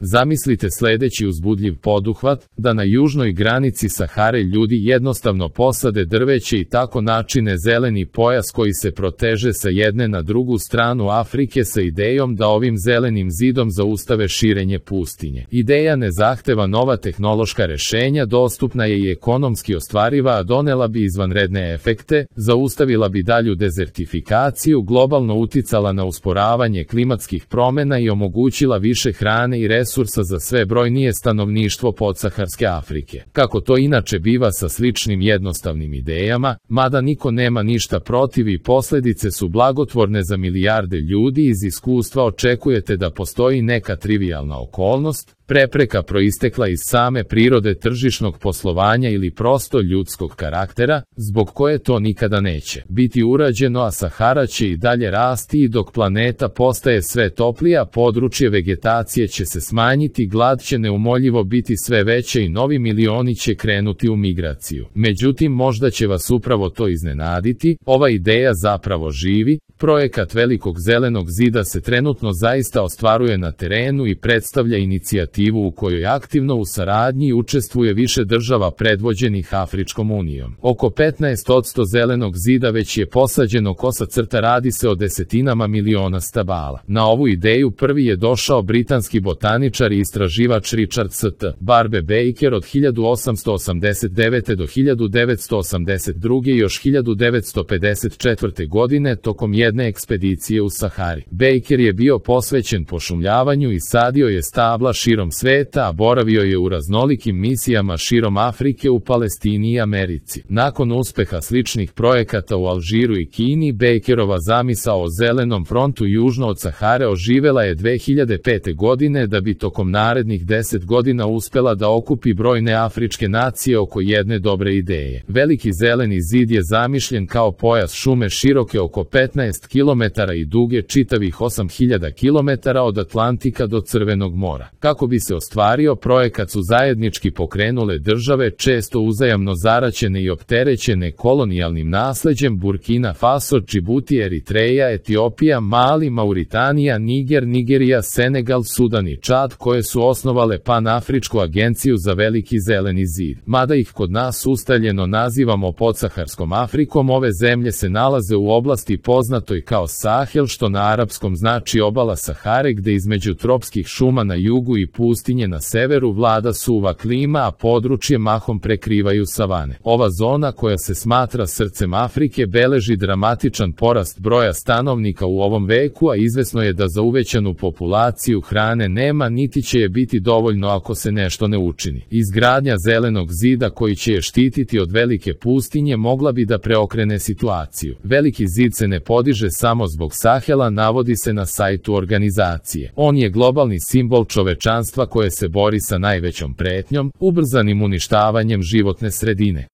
Zamislite sljedeći uzbudljiv poduhvat, da na južnoj granici Sahare ljudi jednostavno posade drveće i tako načine zeleni pojas koji se proteže sa jedne na drugu stranu Afrike sa idejom da ovim zelenim zidom zaustave širenje pustinje. Ideja ne zahteva nova tehnološka rešenja, dostupna je i ekonomski ostvariva, a donela bi izvanredne efekte, zaustavila bi dalju dezertifikaciju, globalno uticala na usporavanje klimatskih promjena i omogućila više hrane i resursa za sve brojnije stanovništvo podsaharske Afrike. Kako to inače biva sa sličnim jednostavnim idejama, mada niko nema ništa protiv i posljedice su blagotvorne za milijarde ljudi, iz iskustva očekujete da postoji neka trivijalna okolnost, prepreka proistekla iz same prirode tržišnog poslovanja ili prosto ljudskog karaktera, zbog koje to nikada neće biti urađeno, a Sahara će i dalje rasti i dok planeta postaje sve toplija, područje vegetacije će se smanjiti, glad će neumoljivo biti sve veće i novi milioni će krenuti u migraciju. Međutim, možda će vas upravo to iznenaditi, ova ideja zapravo živi, projekat Velikog zelenog zida se trenutno zaista ostvaruje na terenu i predstavlja inicijativu u kojoj aktivno u saradnji učestvuje više država predvođenih Afričkom unijom. Oko 15% zelenog zida već je posađeno, kosa crta, radi se o desetinama miliona stabala. Na ovu ideju prvi je došao britanski botaničar i istraživač Richard St. Barbe Baker od 1889. do 1982. i još 1954. godine tokom jedne ekspedicije u Sahari. Baker je bio posvećen pošumljavanju i sadio je stabla širom sveta, a boravio je u raznolikim misijama širom Afrike, u Palestini i Americi. Nakon uspeha sličnih projekata u Alžiru i Kini, Bakerova zamisao o zelenom frontu južno od Sahare oživela je 2005. godine, da bi tokom narednih 10 godina uspela da okupi brojne afričke nacije oko jedne dobre ideje. Veliki zeleni zid je zamišljen kao pojas šume široke oko 15 km i duge čitavih 8000 km od Atlantika do Crvenog mora. Kako bi se ostvario projekat su zajednički pokrenule države, često uzajamno zaraćene i opterećene kolonijalnim nasleđem: Burkina Faso, Džibuti, Eritreja, Etiopija, Mali, Mauritanija, Niger, Nigerija, Senegal, Sudan i Čad, koje su osnovale Panafričku agenciju za Veliki zeleni zid. Mada ih kod nas ustaljeno nazivamo podsaharskom Afrikom, ove zemlje se nalaze u oblasti poznatoj kao Sahel, što na arapskom znači obala Sahare, gde između tropskih šuma na jugu i pustinje na severu vlada suva klima, a područje mahom prekrivaju savane. Ova zona, koja se smatra srcem Afrike, beleži dramatičan porast broja stanovnika u ovom veku, a izvesno je da za uvećanu populaciju hrane nema, niti će je biti dovoljno ako se nešto ne učini. Izgradnja zelenog zida koji će je štititi od velike pustinje mogla bi da preokrene situaciju. Veliki zid se ne podiže samo zbog Sahela, navodi se na sajtu organizacije. On je globalni simbol čovečanstva koje se bori sa najvećom pretnjom, ubrzanim uništavanjem životne sredine.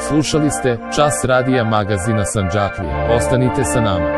Slušali ste Čas radija magazina Sandžaklija. Ostanite sa nama.